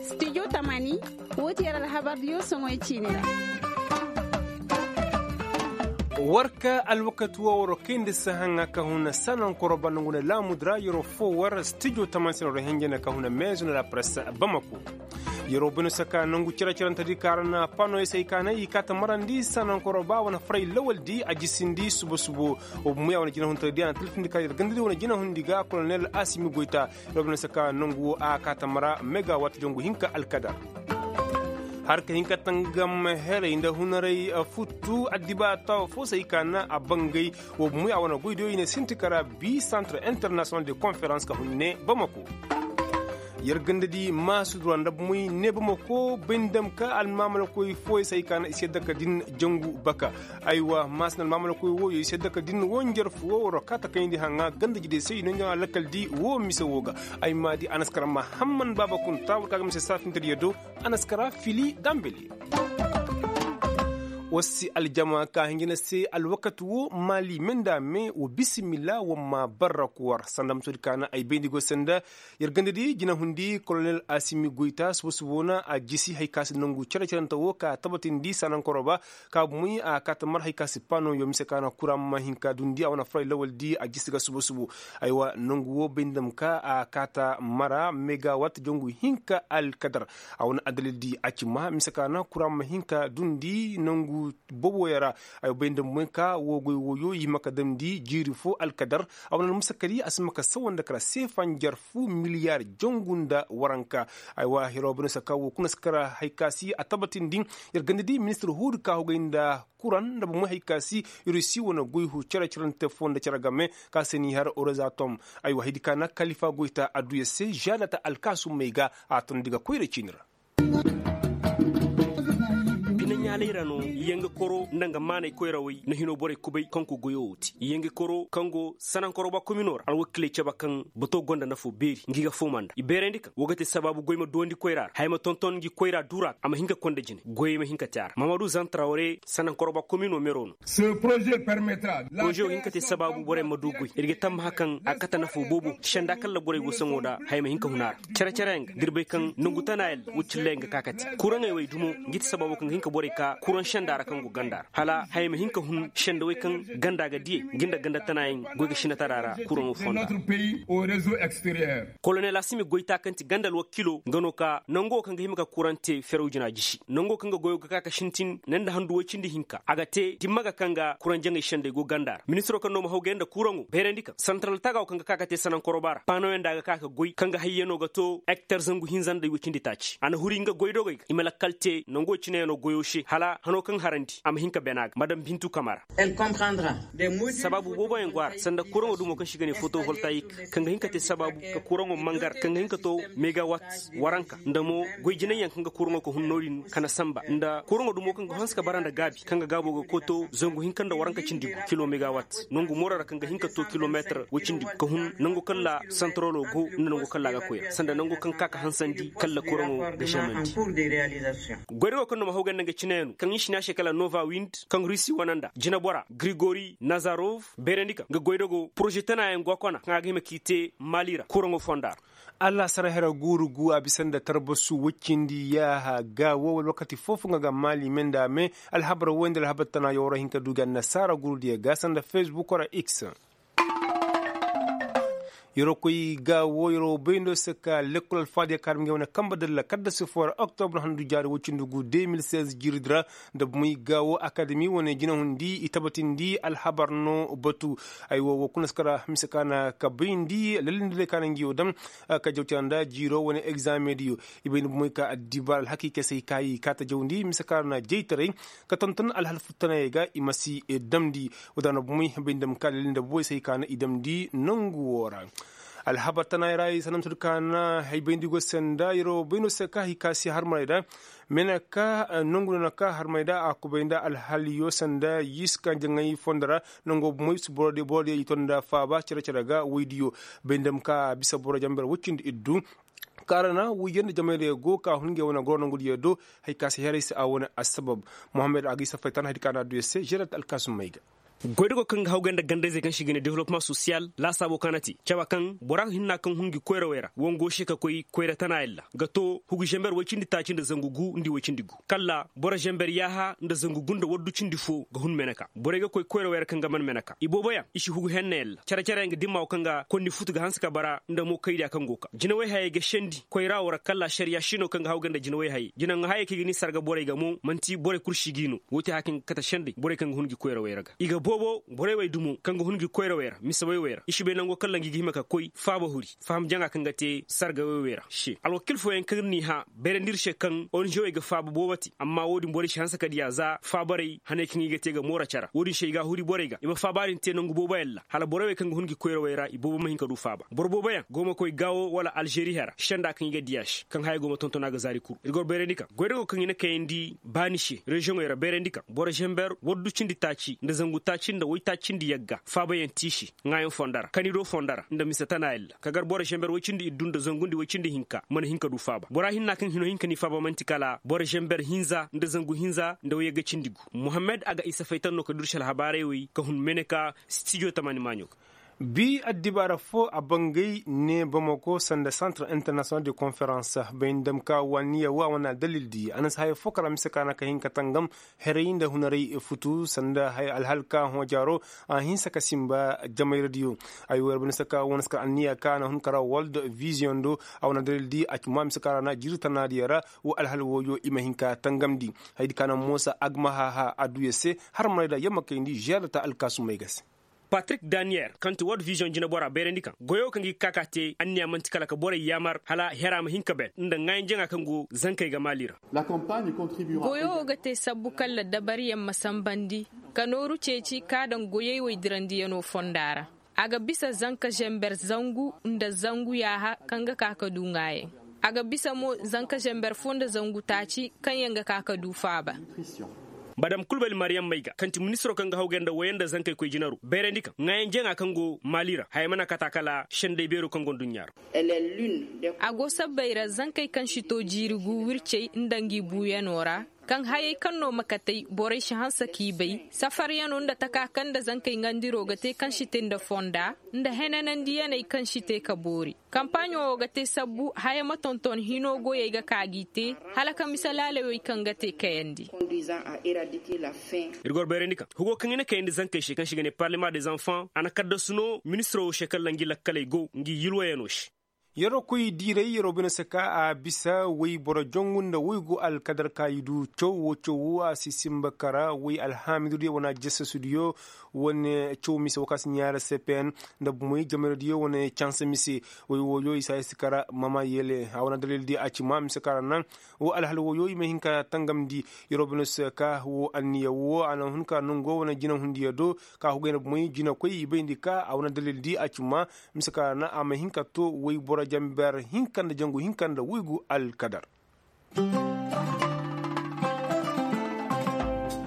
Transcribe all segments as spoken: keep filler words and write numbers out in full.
Studio tamani. Woo ti yer alhabardiyo soŋoy ciini ra. War ka alwakati woo war kayndi sahaŋa ka huna sanankoro ba nongu na laamudi ra yeroo foo war studio tamani se na war henjene ka huna meezo na la presse. Bamako. Yeroo bay no se ka nongu cere-cerentedi ka ra na panoy se ay ka na i kaa ta marandi sanankoro ba wane faray lawaldi a jisindi suba-subo. Wa bumo ya wane jinahuntedi a na taltindi ka yer gandadi wane jinahundi ga kolonel asimi goyta. Yeroo bay no se ka nongu woo a kaa ta mara megawat jangu hinka alkadar. Har ka hin ka tangam heray nda hunaray futtu addibaata foo se ay ka na a bangay. Wa bumo ya wane goydiyo i ne sinti ka ra bi centre international de conférence ka hun ne bamako. Yer ganda di maasudura nda bumoy ne bamako bay nda ma ka almaamalakoy fooyey se ay ka na i si yadda ka din jangu baka. Aywa maasina almaamalakoy wooyo i si yadda ka din woo njarfu woo war kaa ta kayndi haŋa ganda jidey se i no njaŋ alakal di woo mise woo ga. Ay ma di anaskara mahamman baaba kunta war ka ga mise saafintediyo do. Anaskara fili dambeli. War si aljama ka hinjina se alwakati woo maali me nda me wa bisimila war ma barra ku war sanda musodi ka na ay bayndi go sanda. Yer ganda di jinahundi kolonel asimi goyta suba-suba woo na a jisi hari ka si nongu cere-cerente woo ka tabatindi sanankoro ba. Ka bumoy a kaa ta mar hari ka si pano yo mise ka na kura ma hin ka dundi a wane faray lawaldi a jisi ga suba-suba. Aywa nongu woo bay nda ma ka a kaa ta mara megawat jangu hinka alkadar. A wane addalildi a ci ma mise ka na kura ma hin ka dundi nongu boobo ya ra. Ay bay nda ma ka woo goy wooyo i hima ka damndi jiiri foo alkadar. A wane almusakadi a si hima ka sawa nda kara seefa njarfu miliyar jangu nda waranka. Aywa hiro bay no se ka woo kuna si kara hari ka si a tabatindi. Yer ganda di ministir huudi ka hogay nda kuran nda bomey hari ka si rusi wane goy hu cere-cerante foo nda cere game ka se n'i har orozatom. Aywa haydi ka na kalifa goyta adduya se žadata alkaasummey ga a tondi ga koyra ciini ra. Bine ɲaalay ra no yanga koro nda nga maanay koyrawey na hino borey kubay kaŋ go goyo wo te yanga koro kaŋ go sanankoro ba komino ra alwakiley cabe kaŋ bato gonda nafo beeri ngi ga fooma nda i beerandi kaŋ wo ga te sabaabu goy ma duwandi koyra ra haya ma tonton ngi koyra duura a ma hin ka konda jine goyey ma hin ka te a ra mamadu zantrawre sanankoro ba komino mero no. Poroze wo hin ka te sabaabu borey ma du goy ir ga tammaha kaŋ a kate nafo boobo senda kaŋ ra borey go saŋo nda haya ma hin ka hun a ra. Cere-cere yaŋ ga da ir bay kaŋ nangu tana yaŋ ra wacin lay yaŋ ga ka kate kuraŋey wey dumo ngi ti sababo kaŋ ga hin ka borey ka kuraŋ senda ra kaŋ go ganda ra hala haya ma hin ka hun sendawey kaŋ ganda ga diyey ngi nda ganda tana yaŋ goy ga sinatara ra kuraŋo fonda. Kolonel asimi goyta kaŋ ti ganda alwakilo nga no ka nango kaŋ ga hima ka kuraŋ te feraw jina jisi nango kaŋ ga goyo ga ka ka sintin ne nda handu woy cindi hinka a ga te dimma ga kaŋ ga kuraŋ jaŋay sendey go ganda ra ministiro kaŋ no ma hawgay nda kuraŋo bayrandi kaŋ santaral tagawo kaŋ ga ka ka te sanaŋ koroba ra paanoyaŋ da a ga ka ka goy kaŋ ga hayyano ga to ektar zangu hinza nda woy cindi taaci a na huri nga goydogey ga i ma lakkal te nango cineyaŋo goyo se hala hano kaŋ harandi a ma hin ka bena ga madam bintu kamara. Sabaabu booboyaŋ go a ra sanda kuraŋo dumo kaŋ se i ga ne fotovoltayik kaŋ ga hin ka te sabaabu ka kuraŋo mangar kaŋ ga hin ka to megawat waranka nda mo goy jinayyaŋ kaŋ ga kuraŋo ka hun no-din ka na samba nda kuraŋo dumo kaŋ ga hanse ka bara nda gaabi kaŋ ga gaabo ga koy to zangu hinka nda waranka cindi gu kilo megawat nangu mooro ra kaŋ ga hin ka to kilomeetir woy cindi gu ka hun nangu kaŋ ra santarolo go nda nangu kaŋ ra a ga koy ra sanda nangu kaŋ ka ka hansandi kaŋ ra kuraŋo ga žemandi. Goydago kaŋ no ma haw ganda nga cineyaŋ no kaŋ i si ne a se kala nova wind kaŋ rusi wane nda jinebora grigori nazarov bayrandi kaŋ nga goydago poroze tanayaŋ go a kona kaŋ a ga hima k'i te maali ra kuraŋo fonda ra. Allaasara hera guuru gu a bisa nda tarbasu woy cindi yaaha ga wo wala wakati foo-foo nga ga maali me nda a me alhabar woy nda alhabar tana yawra hin ka du ga annasaara guurudiyo ga sanda fesbuk ra x. Yerookoy ga wo yeroo bayndo se ka lekkol alfaadiya kaarimi ngey wane kambe dalla kadda sifo ra oktobra handu jaari woy cindi gu de mil seize jiiridi ra nda bumey ga wo akademi wane jinahundi i tabatindi alhabar no batu. Ay wo wo kuna si kara mise ka na ka bayndi lallindiray ka na ngi wo daŋ ka jawtira nda jiiro wane egzameŋ diyo. I bay nda bumey ka addibaara alhakiikey se i ka i kaata jawndi mise ka na jaytaray ka tonton alhal futtanayey ga i ma si damndi. Wadaana bumey bay nda ma ka lallinda booy se i ka na i damndi nangu wo ra. Alhabar tanay ra i sanantu da ka na hay bayndi go sanda yero bayno se ka hay ka si harmaray da. Mena ka nangu na ka harmay da a kubay nda alhaliyo sanda yis ka jaŋay fonda ra. Nango moy si boro diyo i to nda faaba cere-cere ga woydiyo bay nda ma ka bisa boro jamber woy cindi iddu. Kaara na woydiyo nda jamaydiyo go ka hun ngey wane goro nangudiyo do. Hay ka si heray se a wane assabab. Mohammed a ga i safay tan haydi ka na adduyo se žerat alkaasum may ga. Goydago kaŋ ga hawgay nda gandayzey kaŋ se i ga ne development sosiyal laasaabo kaŋ a na te caba kaŋ bora hinna kaŋ hun ngi koyrawey ra wango se ka koy koyra tana yalla ga to hugu zamber woy cindi taaci nda zangu gu nda i woy cindi gu kalla boro zamber yaaha nda zangu gu nda waddu cindi fo ga hun meneka borey ga koy koyrawey ra kaŋ ga man meneka ibooboyaŋ i si hugu henna yalla care-careyaŋ ga dimma wo kaŋ ga kondi futu ga hanse ka bara nda mo kaydiya kaŋ go ka jinawey hayey ga sendi koyra wo ra kalla ašariya sino kaŋ ga hawgay nda jinawey hayey jinaŋ hayey kaŋ i ga ni sarga borey ga mo man'ti borey kul si g'i no wo te haya kaŋ ga kate sendey borey kaŋ ga hun ngi koyrawey ra ga i ga boobo borey wey dumo kaŋ ga hun ngi koyrawey ra mise wey wey ra i si bay nango kaŋ langi ga hima ka koy faaba huri faham jaŋa kaŋ ga te sargawey wey ra se alwakil fooyaŋ kaŋ ir n'i hã beerandi ir se kaŋ onizewey ga faaba boobo te amma wo-din borey si hanse ka diya za faabarey haney kaŋ i ga te ga moora cara wo-din se i ga a huri borey ga i ma faaba din te nangu booboyaŋ ra hala borey wey kaŋ ga hun ngi koyrawey ra i boobo ma hin ka du faaba boro booboyaŋ go ma koy gaawo wala alžeri hera senda kaŋ i ga diya se kaŋ haya go ma tonton a ga zaari kuru ir goro beerandi kaŋ goydago kaŋ i na kayandi baani se reziyoŋey ra beerandi kaŋ boro zamber waddu cindi taaci nda zangu taaci nda woy taaci nda yagga faabayaŋ tiisi ŋaayaŋ fondo ra kanido fondo ra nda mise tana yalla ka gar boro zamber woy cindi iddu nda zangu nda woy cindi hinka mana hin ka du faaba bora hinna kaŋ hino hin ka ni faaba man'ti kala boro zamber hinza nda zangu hinza nda woy yagga cindi gu muhammad a ga isa faytan no ka dursi alhabaarey wey ka hun mene ka stijo tamani maaɲo ga bi addibaara fo a bangay ne bamako sanda centre international de conference bay nda dam ka wanniya wa wane adalil di a na si haya fo kala mise ka na ka hin ka tangam heray nda hunaray futu sanda haya alhal ka hõ jaaro a hinsa ka simba jamayra diyo ay wo yar bay na si ka wane si kar anniya ka na hun kara world vision do a wane adalil di a ci ma mise ka ra na jiiri tana diya ra wo alhal wooyo i ma hin ka tangamndi hayadi ka na moosa agmahaha adduya se har maray da yamma kayndi žeer da ta alkaasumey ga se patrik daniyel kaŋ ti world vision jinebora bayrandi kaŋ goyo kaŋ ga i ga ka ka te anniya man'ti kala ka borey yaamar hala hera ma hin ka ben nda ŋaayanjaŋa kaŋ go zankey ga maali ra goyo wo ga te sabbu kaŋ la dabariyaŋ ma sambandi ka nooru ceeci ka daŋ goyey wey dirandiyaŋo fonda ra a ga bisa zanka zember zangu nda zangu yaaha kaŋ ga ka ka du ŋaayaŋ a ga bisa mo zanka zember fo nda zangu taaci kaŋ yaŋ ga ka ka du faaba madam kulbali mariyam mayga kaŋ ti ministiro kaŋ ga hawgay nda woyey nda zankey koy jinaro bayrandi kaŋ ŋaayaŋ jaŋa kaŋ go maali ra haya mana kata kala senday beero kaŋ go nduɲɲa ra a go sabbay ra zankey kaŋ si to jiiri gu wircey nda ngi buuyano ra kaŋ hayey kaŋ no ma katey borey si hanse k'i bay safaryano nda taka kaŋ nda zankey ŋandiro ga te kaŋ si te nda fonda nda henanandiyaney kaŋ si te ka boori kampaaɲo wo ga te sabbu haya ma tonton hino goyey ga ka g'i te hala ka mise laalawey kaŋ ga te kayandi ir goro bayrandi kaŋ hugo kaŋ i na kayandi zankey se kaŋ se i ga ne parlement des enfants a na kaddasu no ministiro wo se kaŋ lanji lakkaley go ngi yilwayano se yeroo koy diiray yeroo bine se ka a bisa woy boro jongu nda woy go alkadar ka i du caw wo caw wo a si simba kara woy alhaamidudiyo wane ajasasudiyo wane caw mise wo ka si ɲaara cpn nda bumey jameradiyo wane canse mise woy wooyo i si a i si kara mama yeele a wane dalil di a ci ma mise kara naŋ wo alhal wooyo i ma hin ka tangamndi yeroo bine se ka wo anniya wo a na hun ka nongo wane jinahundiyo do ka hugay nda bumey jinakoy i bayndi ka a wane dalil di a ci ma mise ka ra na a ma hin ka to woy boro jamber hinka nda jangu hinka nda woygu alkadar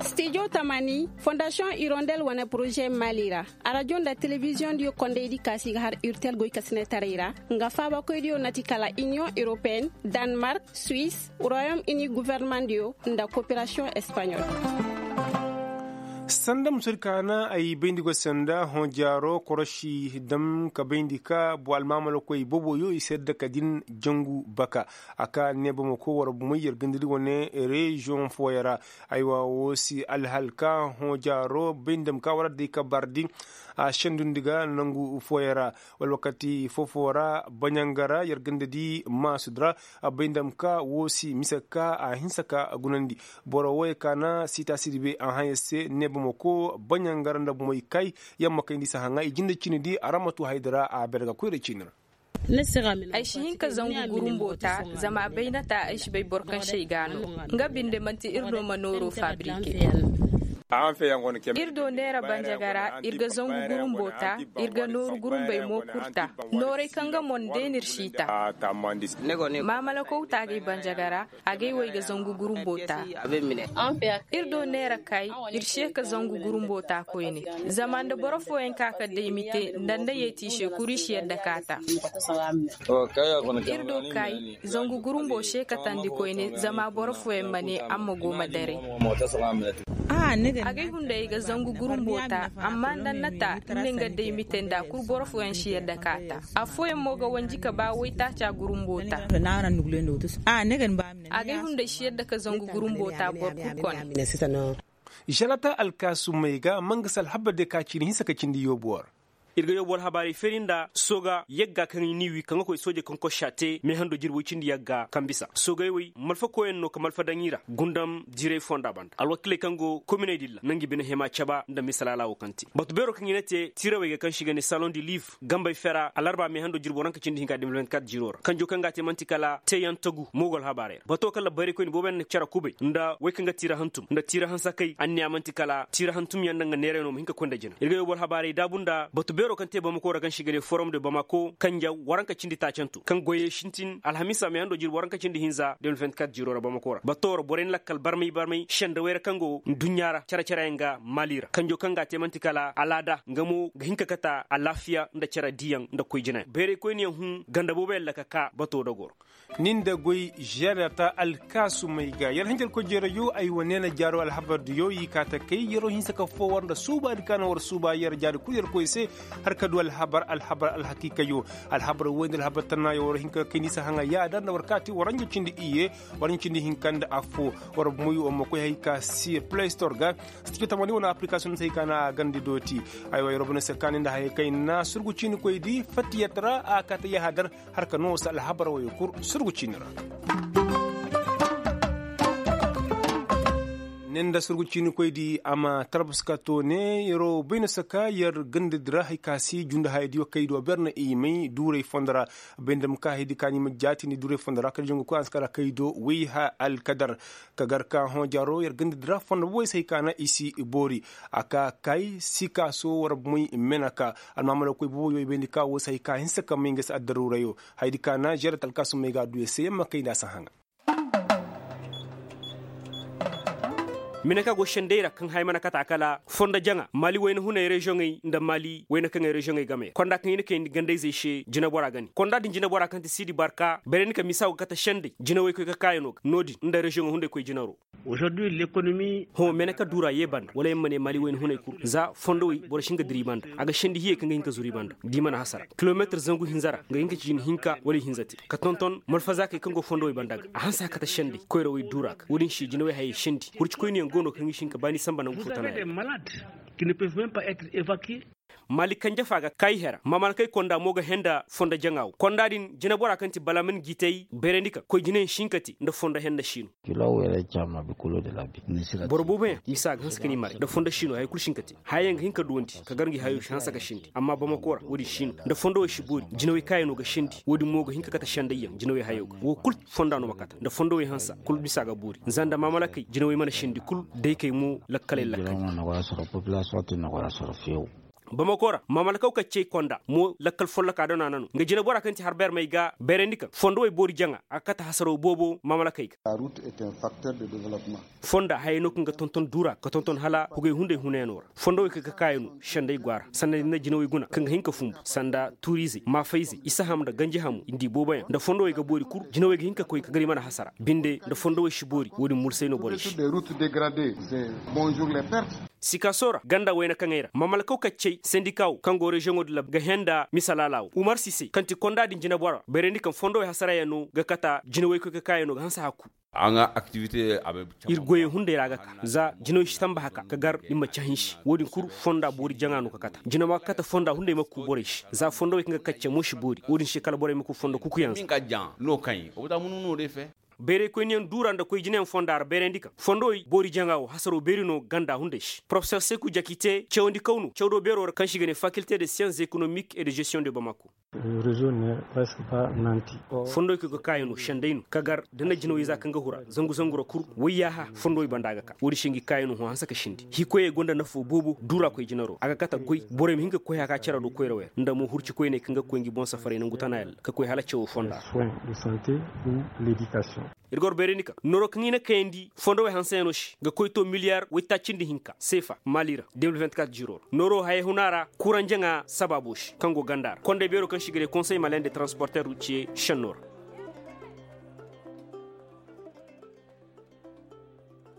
stijo tamani fondasiyoŋ irondel wane poroze mali ra arajo nda telebiziyoŋ diyo kondey di kaasi ga har urtel goy kasinetaray ra nga faabakoy diyo na ti kala iniyoŋ europeen danmark suwis royom ini guvernemandiyo nda koperasiyoŋ espaɲol sanda musadi ka na ay bayndi go sanda hõ jaaro korosi dam ka bayndi ka bo almaamalakoy boboyo i sedda ka din jangu baka a ka ne bamako war bumay yer gandadi wane reziyoŋ fooyaŋ ra aywa wo si alhal ka hõ jaaro bayndi dam ka war adday ka bardi a sendundi ga nangu fooyaŋ ra wala wakati fofo ra baɲanga ra yer ganda di maasud ra a bay ndam ka wo si mise ka a hinsa ka gunandi boro woy ka na sita sidi be a haŋ yer se ne bamako baɲanga ra nda bomoy kay yamma kay ndi si haŋa i jinde cini di a ra ma tu hayda ra a berga koyra cini ra ay si hin ka zangu gurumbo ta zama baynata ay si bay boro kaŋ se ay ga no nga binde manti ir no ma nooro fabrike ir do neera banjagara ir ga zangu gurumbo ta ir ga nooru gurumbey mo kurta nooray kaŋ ga mon deenir si ta maamalakow taagay banjagara agay wo ay ga zangu gurumbo ta ir do neera kay ir se ka zangu gurumbo ta koyne zama nda boro fooyaŋ ka ka day mite nda nda yeeti i se kuru i si yadda ka ta ir do kay zangu gurumbo se ka tandi koyne zama boro fooyaŋ ma ne amma go ma daray Agay hunday ga zangu gurumbo ta. Amma nda nna ta nne nga day mite nda kul boro fooyaŋ si yadda ka ta. Affooyaŋ mo ga wanji ka ba waytaaca gurumbo ta. Agay hunday si yadda ka zangu gurumbo ta boro kul kone. Želata alkaasumey ga mangasa alhabar day ka cindi hinsa ka cindi yoobu war. Ir ga yoobu alhabaarey feeri nda sooga yagga kaŋ i n'i wi kaŋ ga koy sooje kaŋ kossa te meehando jirbi woy cindi yagga kaŋ bisa soogey wey malfa koyyaŋ no ka malfa daŋ i ra gundam diray fonda banda alwakiiley kaŋ go kominey dilla na nga bine hema caba nda misalaala wo kaŋ te batu beero kaŋ i na te tiirawey ga kaŋ se i ga ne saloŋ di liif gambey fera alarba meehando jirbi waranka cindi hinka de mil vingt-quatre jiro ra kanjo kaŋ ga a te man'ti kala teeyaŋ tagu moogo alhabaarey ra bato kaŋ labbayraykoyni boobo yaŋ na cere kubay nda wey kaŋ ga tiira hantum nda tiira hansakay anniya man'ti kala tiira hantumyaŋ nda nga neeray no ma hin ka koy nda jina ir ga yoobo alhabaarey daabu nda batu beero kaŋ te bamako ra kaŋ se i ga ne forum de bamako kanja waranka cindi taacanto kaŋ goyey sintin alhamiisa meehando jirbi waranka cindi hinza de mil vingt-quatre jiro ra bamako ra bato ra borey na lakkal barmay barmay sendawey ra kaŋ go nduɲɲa ra cere-cereyaŋ ga maali ra kanjo kaŋ ga a te man'ti kala alaada nga mo ga hin ka kata alaafiya nda cere diiyaŋ nda koy jinayaŋ bayraykoyniyaŋ hun ganda booboyaŋ ra ka ka bato dogor. Nin da goy žerata alkaasumey ga yer hanjarkoy jeerayo ay wane na jaaro alhabar diyo i kaa ta kay yeroo hinsa ka foo war nda suubaadi ka na war suuba yer jaadi kul yer koy se har ka du alhabar alhabar alhakiikayo alhabar woy nda alhabar tannaayo war hin ka kay ni si haŋa yaada nda war kaati war ɲa cindi iyye war ɲa cindi hinka nda affoo war moy war ma koy hay ka si play store ga si ci ka tamani wane application se hay ka na a gandi dooti. Aywa yeroo bane se kaani nda hayey kaŋ i na surgu ciinikoy di fattiyat ra a kaa ta yahadar har ka noo se alhabar woyey kul surgu ciini ra. Ne nda surgu ciinikoy di a ma talbas ka to ne yeroo bay na saka yer ganda di ra hay ka si jundu haya di wa kay do ber na i may duuray fondo ra bay nda ma ka hay di ka ni ma jaatindi duuray fondo ra kala jangu koy a si kala kay do wayha alkadar ka gar ka hõ jaaro yer ganda di ra fondo boy se hay ka na i si boori a ka kay sikaaso war moy menaka almaamala koy boobo yo i bayndi ka wo se hay ka hinsa ka may nga se addaruurayo. Hayadi ka na žerat alkaasumey ga a du yer se yer ma kay nda a si haŋa. Mine ka go sendey ra kaŋ haya mana kata kala fondo jaŋa maali wayna hunay reziyoŋey nda maali wayna kaŋey reziyoŋey game ra konda kaŋ i na kayndi gandayzey se jinabora ga ne konda din jinabora kaŋ ti siidi barka bayray ni ka misa go ga kate sendey jinawey koy ka kaayano ga no-din nda reziyoŋo hunday koy jinaro. Hõ mene ka duura yee banda wala yer ma ne maali wayna hunay kul za fondowey boro si hin ka dira i banda a ga sendi hiyey kaŋ ga hin ka zuru i banda da i mana hasara kilometir zangu hinza ra nga hin ka ci jina hinka wala i hinza te ka tonton malfazaakey kaŋ go fondowey banda ga a hanse a kate sendey koyrawey duura ga wo-din se jinawey hayey sendi hurcikoyniyaŋ go no kaŋ i si hin ka baani sanba nangu fo tana yaŋ. Maali kanje fa ga kaayi hera mamalkey konda mo ga henda fondo jaŋa wo konda din jinabora kaŋ ti balamin gitey bayrandi ka koy jinayaŋ si hin ka te nda fondo henda siino. Boro booboyaŋ misa ga hanse ka ni maray nda fondo siino haya kul si hin ka te hayayaŋ ga hin ka duwandi ka gar ngi hayo si hanse ka sendi amma bamako ra wo-din siino nda fondowey si boori jinawey kaayano ga sendi wo-din mo ga hin ka kate sendayyaŋ jinawey hayo ga wo kul fonda no ma kate nda fondowey hansa kul misa ga boori za nda mamalakey jinawey mana sendi kul daykey mo lakkaley lakkal. Bamako ra mamalakaw kaccey konda mo lakkal folloka dona nano nga jinabora kaŋ ti harbermey ga bayrandi kaŋ fondowey boori jaŋa a ga kate hasaro boobo mamalakey ga. Fonda hayey no kaŋ ga tonton duura ka tonton hala hugey hunday hunayano ra fondowey kaŋ ga kaayano sendey go a ra sanda ni na jinawey guna kaŋ ga hin ka fumbu sanda tuuriizey maafayzey isaham nda ganjihamo i nda i booboyaŋ nda fondowey ga boori kul jinawey ga hin ka koy ka gar i mana hasara binde nda fondowey si boori wo-din mursay no borey se. Sikaaso ra ganda wayna kaŋey ra mamalkaw kaccey sendika wo kaŋ go reziyoŋo din ra ga henda misa laala wo umar sise kaŋ ti konda din jinabora bayrandi kaŋ fondowey hasarayaŋ no ga kata jinawey koy ka kaayano ga hanse hakku. Ir goyey hunday ra ga ka za jinawey si tamba haka ka gar i ma cahinsi wo-din kul fonda boori jaŋa no ka kata jina ma ga kata fonda hunday ma ku borey se za fondowey kaŋ ga kacce mo si boori wo-din se kala borey ma ku fondo kukuyaŋ se. Bayraykoyniyaŋ duura nda koy jinayaŋ fonda ra bayrandi kaŋ fondowey boori jaŋa wo hasaro beeri no ganda hunday se porofesor seku jakite cawandi kaw no cawdo beero ra kaŋ se i ga ne fakilte de sciences économiques et de gestion de bamako. Fondowey kaŋ ga kaayano senday no ka gar da na jinawey za kaŋ ga hura zangu zangu ra kul wayyaaha fondowey banda ga ka wo-din se ngi kaayano hõ hanse ka sendi hikoyey gonda nafo boobo duura koy jinaro a ga kate goy borey ma hin ka koy haka cere do koyrawey ra nda mo hurcikoyney kaŋ ga koy ngi boŋ safarey nangu tana yalla ka koy hala cawo fonda ra. Ir ga war bayrandi kaŋ nooro kaŋ i na kayandi fondowey hanseyaŋo se ga koy to miliyar waytaaci nda hinka seefa maali ra de mil vingt-quatre jiro ra nooro hayey huna ra kuranjaŋa sabaabo se kaŋ go ganda ra konday beero kaŋ se i ga ne konsey malin de transporter ruciye senno ra.